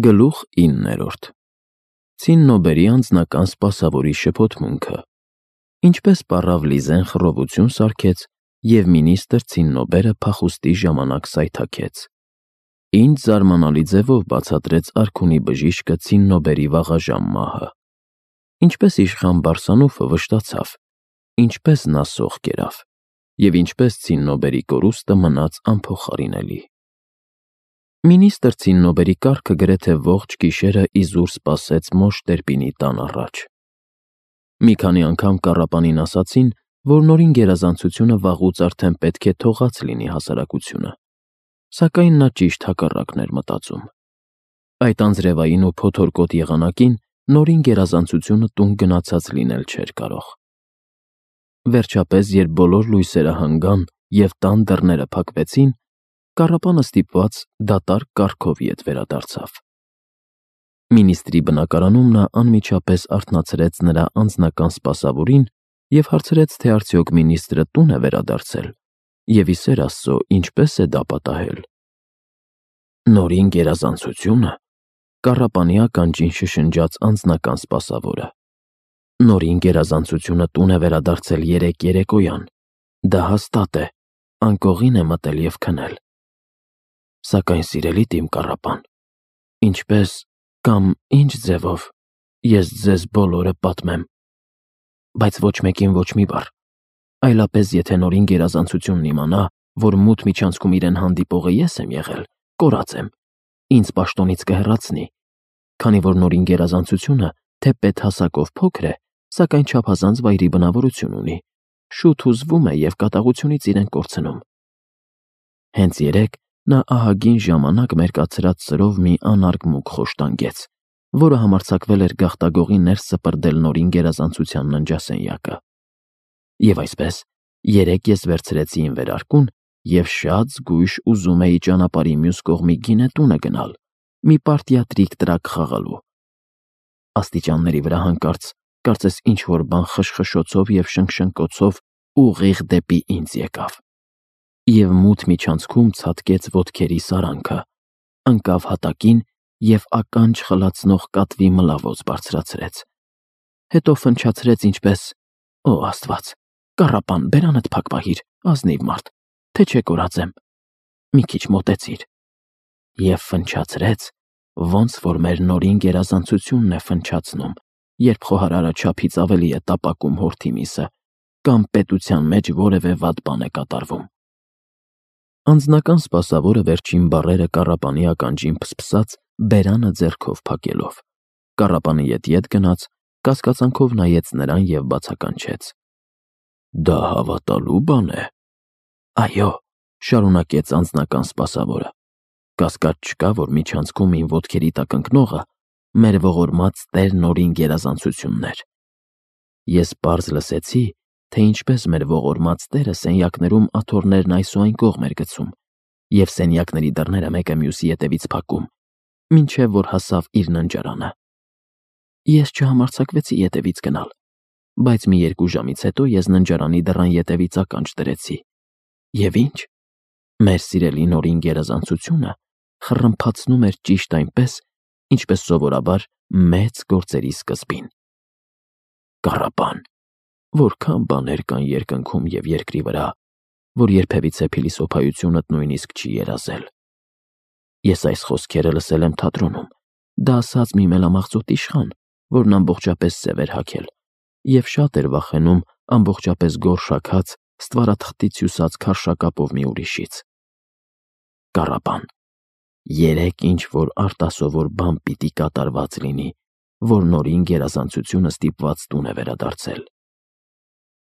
Գլուխ 9. Ցիննոբերի անձնական սպասավորի շփոթմունքը։ Ինչպես պառավ Լիզեն խռովություն սարքեց, և մինիստր Ցիննոբերը փախուստի ժամանակ սայթաքեց։ Ինչ զարմանալի ձևով բացատրեց արքունի բժիշկը Ցիննոբերի վաղաժամ մահը։ Ինչպես իշխան Բարսանուֆը վշտացավ, ինչպես նա սող կերավ, և ինչպես Ցիննոբերի կորուստը մնաց անփոխարինելի։ Մինիստր Ցիննոբերի կառքը գրեթե ողջ գիշերը իզուր սպասեց մոշ Տերպինի տան առաջ։ Մի քանի անգամ կառապանին ասացին, որ նորին գերազանցությունը վաղուց արդեն պետք է թողած լինի հասարակությունը, սակայն նա ճիշտ հակառակն էր մտածում։ Այդ անձրևային ու փոթորկոտ եղանակին նորին գերազանցությունը տուն գնացած լինել չէր կարող։ Վերջապես, երբ բոլոր լույսերը հանգան և տան դռները փակվեցին, կառապանը ստիպված դատարկ կարգով ետ վերադարձավ։ Մինիստրի բնակարանում նա անմիջապես արթնացրեց նրա անձնական սպասավորին և հարցրեց, թե արդյոք մինիստրը տուն է վերադարձել, և ի սեր Աստծո, ինչպես է դա պատահել։ Նորին գերազանցությունը, կառապանի ականջին շշնջաց անձնական սպասավորը։ Նորին գերազանցությունը տուն է վերադարձել երեկ երեկոյան, դա հաստատ է, անկողին է մտել և քնել։ Սակայն, սիրելի տիմ կառապան, ինչպես կամ ինչ ձևով ես ձեզ բոլորը պատմեմ, բայց ոչ մեկին ոչ մի բառ, այլապես եթե նորին գերազանցությունն իմանա, որ մութ միջանցքում իրեն հանդիպողը ես եմ եղել, կորած եմ, ինձ պաշտոնից կհեռացնի, քանի որ նորին գերազանցությունը թեպետ հասակով փոքր է, սակայն չափազանց վայրի բնավորություն ունի, շուտ հուզվում է և կատաղությունից իրեն կորցնում։ Հենց երեկ նա ահագին ժամանակ մերկացրած սրով մի անարգ մուգ խոշտանգեց, որը համարձակվել էր գաղտագողի ներս սպրդել նորին գերազանցության ննջասենյակը։ Եվ այսպես, երեկ ես վերցրեցի իմ վերարկուն և շատ զգույշ ուզում էի ճանապարհի մյուս կողմի գինետունը գնալ, մի պարտիա տրիկ-տրակ խաղալու։ Աստիճանների վրա հանկարծ, կարծես ինչ-որ բան խշխշոցով և շնկշնկոցով ուղիղ դեպի ինձ եկավ, և մութ միջանցքում ցատկեց ոտքերի սարանքը, ընկավ հատակին և ականջ խլացնող կատվի մլավոց բարձրացրեց։ Հետո ֆնչացրեց ինչպես. «Օ Աստված, կառապան, բերանդ փակ պահիր, ազնիվ մարդ, թե չէ կորած եմ, մի քիչ մոտեցիր»։ Եվ ֆնչացրեց, ոնց որ մեր նորին գերազանցությունն է ֆնչացնում, երբ խոհարարը չափից ավելի է տապակում հորթի միսը, կամ պետության մեջ որևէ վատ բան է կատարվում։ Անձնական սպասավորը վերջին բառերը կառապանի ականջին փսփսաց, բերանը ձեռքով փակելով։ Կառապանը ետ գնաց, կասկածանքով նայեց նրան և բացականչեց. «Դա հավատալու բան է»։ «Այո», շարունակեց անձնական սպասավորը, «կասկած չկա, որ միջանցքում իմ ոտքերի տակ ընկնողը մեր ողորմած Տեր Նորին գերազանցությունն էր։ Ես պարզ լսեցի, թե ինչպես մեր ողորմած Տերը սենյակներում աթոռներն այս ու այն կողմ էր գցում, և սենյակների դռները մեկը մյուսի ետևից փակում, մինչև որ հասավ իր ննջարանը։ Ես չհամարձակվեցի ետևից գնալ, բայց մի 2 ժամից հետո ես ննջարանի դռան ետևից ականջ դրեցի, և ինչ, մեր սիրելի Նորին գերազանցությունը խռմփացնում էր ճիշտ այնպես, ինչպես սովորաբար մեծ գործերի սկզբին։ Կառապան, որքան բաներ կան երկնքում և երկրի վրա, որ երբևիցե փիլիսոփայությունդ նույնիսկ չի երազել։ Ես այս խոսքերը լսել եմ թատրոնում, դա ասաց մի մելամաղձոտ իշխան, որն ամբողջապես սև էր հագել, և շատ էր վախենում ամբողջապես գորշ հագած, ստվարաթղթից հյուսած քարշակապով մի ուրիշից։ Կառապան, երեկ ինչ-որ արտասովոր բան պիտի կատարված լինի, որ նորին գերազանցությունը ստիպված տուն է վերադարձել։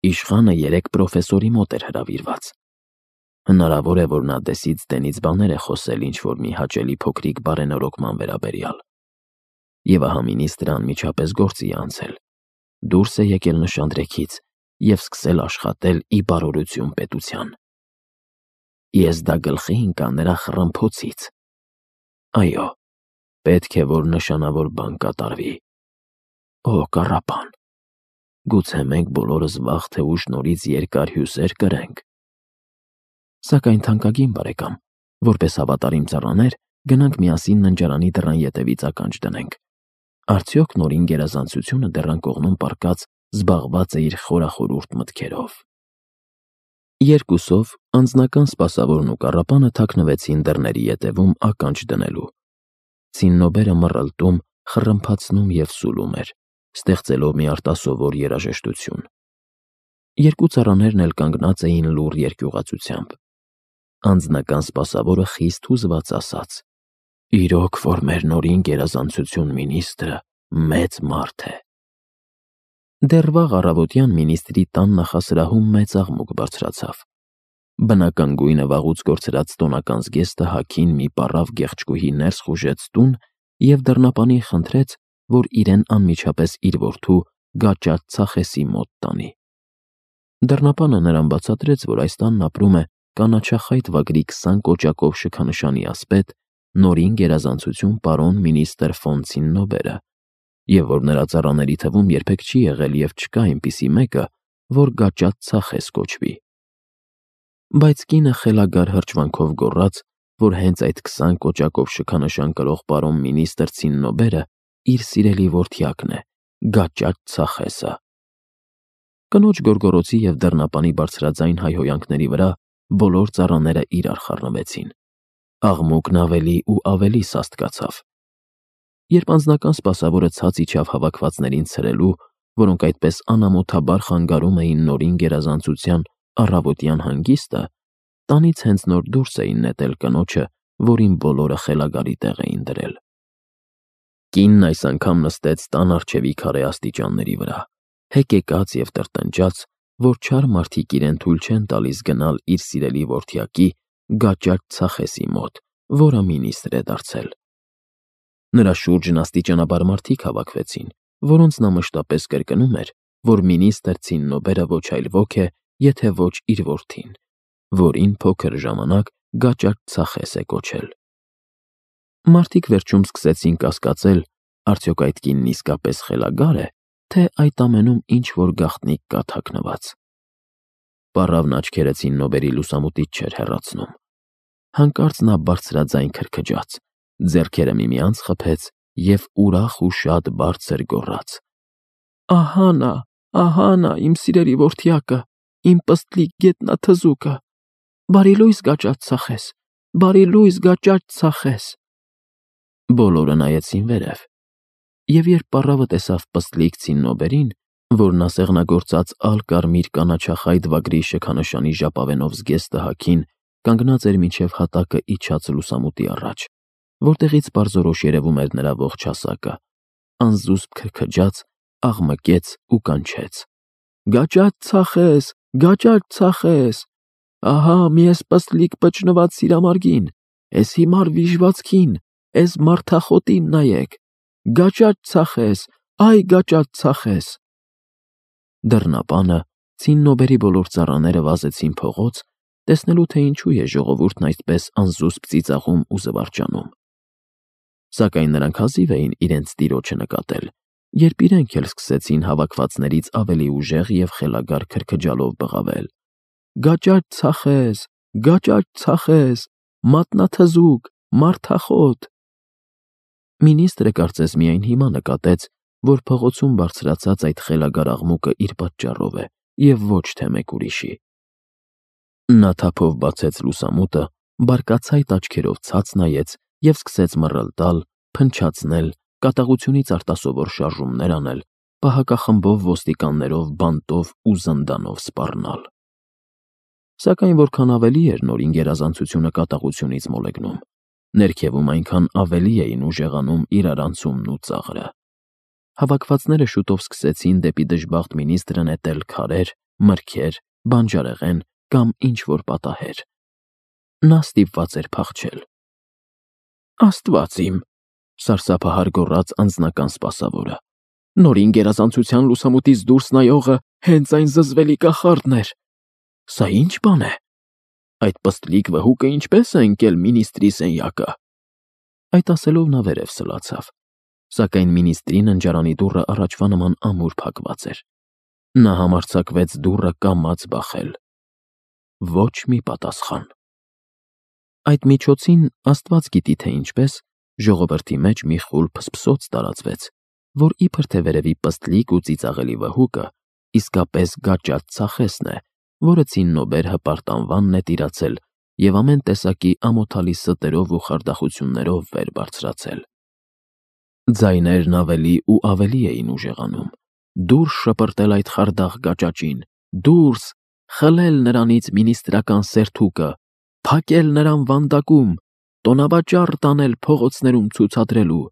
Իշխանը երեկ պրոֆեսորի մոտ էր հրավիրված։ Հնարավոր է, որ նա դեսից դենից բաներ է խոսել ինչ-որ մի հաճելի փոքրիկ բարենորոգման վերաբերյալ։ Եվ ահա մինիստրը անմիջապես գործի է անցել, դուրս է եկել նշանдрեքից և սկսել աշխատել ի բարօրություն պետության։ Ես դա գլխի ընկա նրա խռմփոցից։ Այո, պետք է, որ նշանավոր բան կատարվի։ Օ կառապան, գուցե մենք բոլորս վաղ թե ուշ նորից երկար հյուսեր կրենք։ Սակայն, թանկագին բարեկամ, որպես հավատարիմ ծառաներ, գնանք միասին ննջարանի դռան ետևից ականջ դնենք։ Արդյոք Նորին գերազանցությունը դռան կողմում պառկած զբաղված է իր խորախորուրդ մտքերով։ Երկուսով անձնական սպասավորն ու կառապանը թաքնվեցին դռների ետևում ականջ դնելու։ Ցիննոբերը մռլտում, խռմփացնում և սուլում էր, ստեղծելով մի արտասովոր երաժշտություն։ Երկու ծառաներն էլ կանգնած էին լուռ երկյուղացությամբ։ Անձնական սպասավորը խիստ հուզված ասաց. «Իրոք որ մեր Նորին գերազանցություն մինիստրը մեծ մարդ է»։ Դեռ վաղ առավոտյան մինիստրի տան նախասրահում մեծ աղմուկ բարձրացավ։ Բնական գույնը վաղուց կորցրած տոնական զգեստը հագին մի պառավ գեղեցկուհի ներս խուժեց տուն և դռնապանին խնդրեց, որ իրեն անմիջապես իր որդու Գաճաճ Ցախեսի մոտ տանի։ Դռնապանը նրան բացատրեց, որ այս տանն ապրում է կանաչախայտ վագրի 20 կոճակով շքանշանի ասպետ Նորին գերազանցություն պարոն մինістր ֆոն Ցիննոբերը, և որ նրա ծառաների թվում երբեք չի եղել և չկա այնպիսի մեկը, որ Գաճաճ Ցախես կոչվի։ Բայց կինը խելագար հրճվանքով գոռաց, որ հենց այդ 20 կոճակով շքանշան կրող պարոն մինістր Ցիննոբերը իր սիրելի որդյակն է, Գաճաճ Ցախեսը։ Կնոջ գոռգոռոցի և դռնապանի բարձրաձայն հայհոյանքների վրա բոլոր ծառաները իրար խառնվեցին։ Աղմուկն ավելի ու ավելի սաստկացավ։ Երբ անձնական սպասավորը ցած իջավ հավաքվածներին ցրելու, որոնք այդպես անամոթաբար խանգարում էին Նորին գերազանցության առավոտյան հանգիստը, տանից հենց նոր դուրս էին նետել կնոջը, որին բոլորը խելագարի տեղ էին դրել։ Կինն այս անգամ նստեց տան առջևի քարե աստիճանների վրա, հեկեկած և տրտնջաց, որ չար մարդիկ իրեն թույլ չեն տալիս գնալ իր սիրելի որդյակի Գաճաճ Ցախեսի մոտ, որը մինістր է դարձել։ Նրա շուրջն աստիճանաբար մարդիկ հավաքվեցին, որոնց նա մշտապես կրկնում էր, որ մինістր Ցիննոբերը ոչ այլ ոք է, եթե ոչ իր որդին, որին փոքր ժամանակ Գաճաճ Ցախես է կոչել։ Մարդիկ վերջում սկսեցին կասկածել, արդյոք այդ կինն իսկապես խելագար է, թե այդ ամենում ինչ-որ գաղտնիք կա թաքնված։ Պառավն աչքերը Ցիննոբերի լուսամուտից չէր հեռացնում։ Հանկարծ նա բարձրաձայն քրքջաց, ձեռքերը միմյանց խփեց և ուրախ ու շատ բարձր գոռաց. Ահա նա, իմ սիրելի որդյակը, իմ պստլիկ գետնաթզուկը, բարի լույս Գաճաճ Ցախես, բարի լույս Գաճաճ Ցախես։ Բոլորը նայեցին վերև, և երբ պառավը տեսավ պստլիկ Ցիննոբերին, որն ասեղնագործած ալ-կարմիր կանաչախայտ վագրի շքանշանի ժապավենով զգեստը հագին կանգնած էր մինչև հատակը իջած լուսամուտի առաջ, որտեղից պարզորոշ երևում էր նրա ողջ հասակը, անզուսպ քրքջաց, աղմկեց ու կանչեց. «Գաճաճ Ցախես, Գաճաճ Ցախես, ահա մի էս պստլիկ պճնված սիրամարգին, էս հիմար վիժվածքին, էս մարդախոտին նայեք, Գաճաճ Ցախես, այ Գաճաճ Ցախես»։ Դռնապանը, Ցիննոբերի բոլոր ծառաները վազեցին փողոց, տեսնելու թե ինչու է ժողովուրդն այդպես անզուսպ ծիծաղում ու զվարճանում։ Սակայն նրանք հազիվ էին իրենց տիրոջը նկատել, երբ իրենք էլ սկսեցին հավաքվածներից ավելի ուժեղ և խելագար քրքջալով բղավել. «Գաճաճ Ցախես, Գաճաճ Ցախես, մատնաթզուկ, մարդախոտ»։ Մինիստրը կարծես միայն հիմա նկատեց, որ փողոցում բարձրացած այդ խելագար աղմուկը իր պատճառով է և ոչ թե մեկ ուրիշի։ Նա թափով բացեց լուսամուտը, բարկացայտ աչքերով ցած նայեց և սկսեց մռլտալ, փնչացնել, կատաղությունից արտասովոր շարժումներ անել, պահակախմբով ոստիկաններով բանտով ու զնդանով սպառնալ։ Սակայն որքան ավելի էր Նորին գերազանցությունը կատաղությունից մոլեգնում, ներքևում այնքան ավելի էին ուժեղանում իրարանցումն ու ծաղրը։ Հավաքվածները շուտով սկսեցին դեպի դժբախտ մինիստրը նետել քարեր, մրգեր, բանջարեղեն կամ ինչ-որ պատահեր։ Նա ստիպված էր փախչել։ «Աստված իմ», սարսափահար գոռաց անձնական սպասավորը, «Նորին գերազանցության լուսամուտից դուրս նայողը հենց այն զզվելի կախարդն էր։ Սա ի՞նչ բան է։ Այդ պստլիկ վհուկը ինչպե՞ս է ընկել մինիստրի սենյակը»։ Այդ ասելով նա վերև սլացավ, սակայն մինիստրի ննջարանի դուռը առաջվա նման ամուր փակված էր։ Նա համարձակվեց դուռը կամաց բախել։ Ոչ մի պատասխան։ Այդ միջոցին Աստված գիտի թե ինչպես ժողովրդի մեջ մի խուլ փսփսոց տարածվեց, որ իբր թե վերևի պստլիկ ու ծիծաղելի վհուկը իսկապես գաճաճ ծախեսն է, որը ցիննոբեր հպարտ անվանն է տիրացել և ամեն տեսակի ամոթալի ստերով ու խարդախություններով վեր բարձրացել։ Ձայներն ավելի ու ավելի էին ուժեղանում. դուրս շպրտել այդ խարդախ գաճաճին, դուրս, խլել նրանից մինիստրական սերթուկը, փակել նրան վանդակում, տոնավաճառ տանել փողոցներում ցուցադրելու,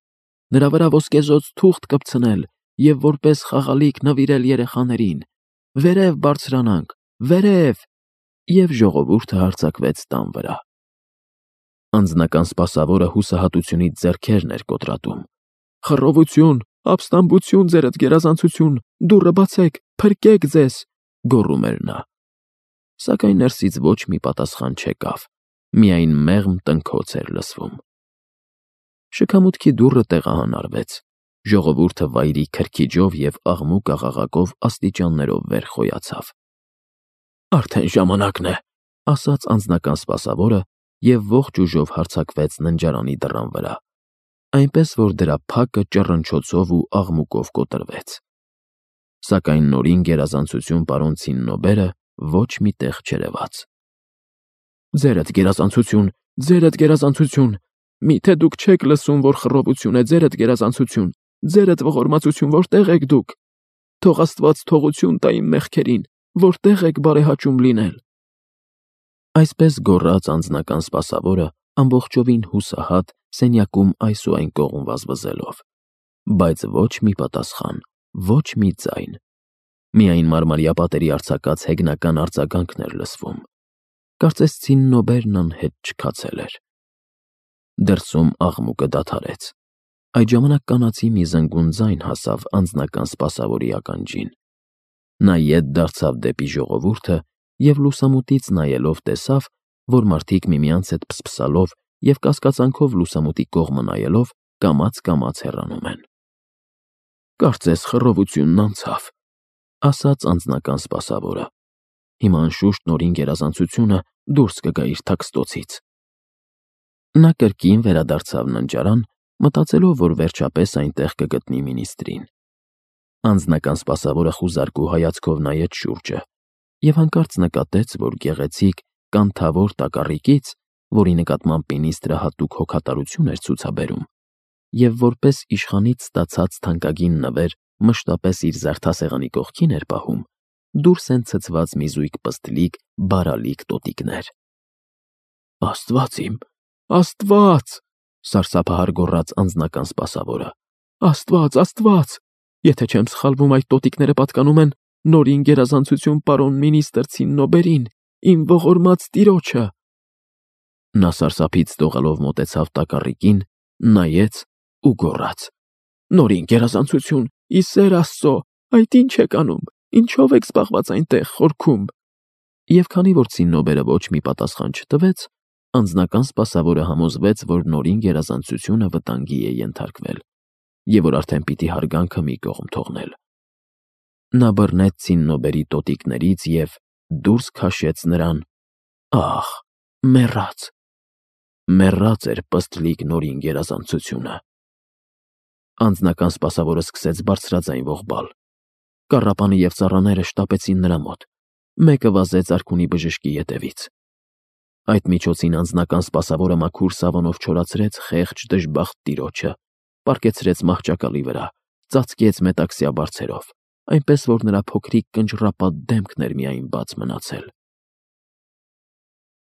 նրա վրա ոսկեզօծ թուղթ կպցնել և որպես խաղալիք նվիրել երեխաներին, վերև բարձրանանք, վերև, և ժողովուրդը հարձակվեց տան վրա։ Անձնական սպասավորը հուսահատությունից ձեռքերն էր կոտրատում. «Խռովություն, ապստամբություն, ձերդ գերազանցություն, դուռը բացեք, փրկեք ձեզ», գոռում էր նա։ Սակայն ներսից ոչ մի պատասխան չեկավ, միայն մեղմ տնքոց էր լսվում։ Շքամուտքի դուռը տեղահանարվեց, ժողովուրդը վայրի քրքիջով և աղմուկ աղաղակով աստիճաններով վեր խոյացավ։ «Արդեն ժամանակն է», ասաց անձնական սպասավորը և ողջ ուժով հարձակվեց ննջարանի դռան վրա, այնպես որ դրա փակը ճռնչոցով ու աղմուկով կոտրվեց։ Սակայն նորին գերազանցություն պարոն Ցիննոբերը ոչ մի տեղ չերևաց։ «Ձերդ գերազանցություն, ձերդ գերազանցություն, միթե դուք չեք լսում, որ խռովություն է, ձերդ գերազանցություն, ձերդ ողորմածություն, որտե՞ղ եք դուք, թող Աստված թողություն տա իմ մեղքերին, որտե՞ղ եք բարեհաճում լինել»։ Այսպես գոռաց անձնական սպասավորը ամբողջովին հուսահատ սենյակում այս ու այն կողմ վազվզելով, բայց ոչ մի պատասխան, ոչ մի ձայն, միայն մարմարյա պատերի արձակած հեգնական արձագանքն էր լսվում։ Կարծես Ցիննոբերն անհետ չքացել էր։ Դրսում աղմուկը դադարեց։ Այդ ժամանակ կանացի մի զնգուն ձայն հասավ անձնական սպասավորի ականջին։ Նա ետ դարձավ դեպի ժողովուրդը և լուսամուտից նայելով տեսավ, որ մարդիկ միմյանց հետ փսփսալով և կասկածանքով լուսամուտի կողմը նայելով կամաց-կամաց հեռանում են։ «Կարծես խռովությունն անցավ», ասաց անձնական սպասավորը։ «Հիմա անշուշտ նորին գերազանցությունը դուրս կգա իր թաքստոցից»։ Նա կրկին վերադարձավ ննջարան, մտածելով, որ վերջապես այնտեղ կգտնի մինիստրին։ Անձնական սպասավորը խուզարկու հայացքով նայեց շուրջը և հանկարծ նկատեց, որ գեղեցիկ, կանթավոր տակառիկից, որի նկատմամբ մինիստրը հատուկ հոգատարություն էր ցուցաբերում, և որպես իշխանից ստացած թանկագին նվեր մշտապես իր զարդասեղանի կողքին էր պահում, դուրս են ցցված մի զույգ պստլիկ, բարալիկ տոտիկներ։ «Աստված իմ, Աստված», սարսափահար գոռաց անձնական սպասավորը։ «Աստված, Աստված, եթե չեմ սխալվում, այդ տոտիկները պատկանում են նորին գերազանցություն պարոն մինիստր Ցիննոբերին, իմ ողորմած տիրոջը»։ Նա սարսափից դողալով մոտեցավ տակառիկին, նայեց ու գոռաց. «Նորին գերազանցություն, ի սեր Աստծո, այդ ի՞նչ եք անում, ինչով եք զբաղված այնտեղ խորքում»։ Եվ քանի որ Ցիննոբերը ոչ մի պատասխան չտվեց, անձնական սպասավորը համոզվեց, որ նորին գերազանցությունը վտանգի է ենթարկվել, և որ արդեն պիտի հարգանքը մի կողմ թողնել։ Նա բռնեց Ցիննոբերի տոտիկներից և դուրս քաշեց նրան։ Ահ, մեռած էր պստլիկ նորին գերազանցությունը։ Անձնական սպասավորը սկսեց բարձրաձայն ողբալ։ Կառապանը և ծառաները շտապեցին նրա մոտ։ Մեկը վազեց արքունի բժշկի ետևից։ Այդ միջոցին անձնական սպասավորը մաքուր սավանով չորացրեց խեղճ դժբախտ տիրոջը, պառկեցրեց մահճակալի վրա, ծածկեց մետաքսյա բարձերով, այնպես որ նրա փոքրիկ կնճռապատ դեմքն էր միայն բաց մնացել։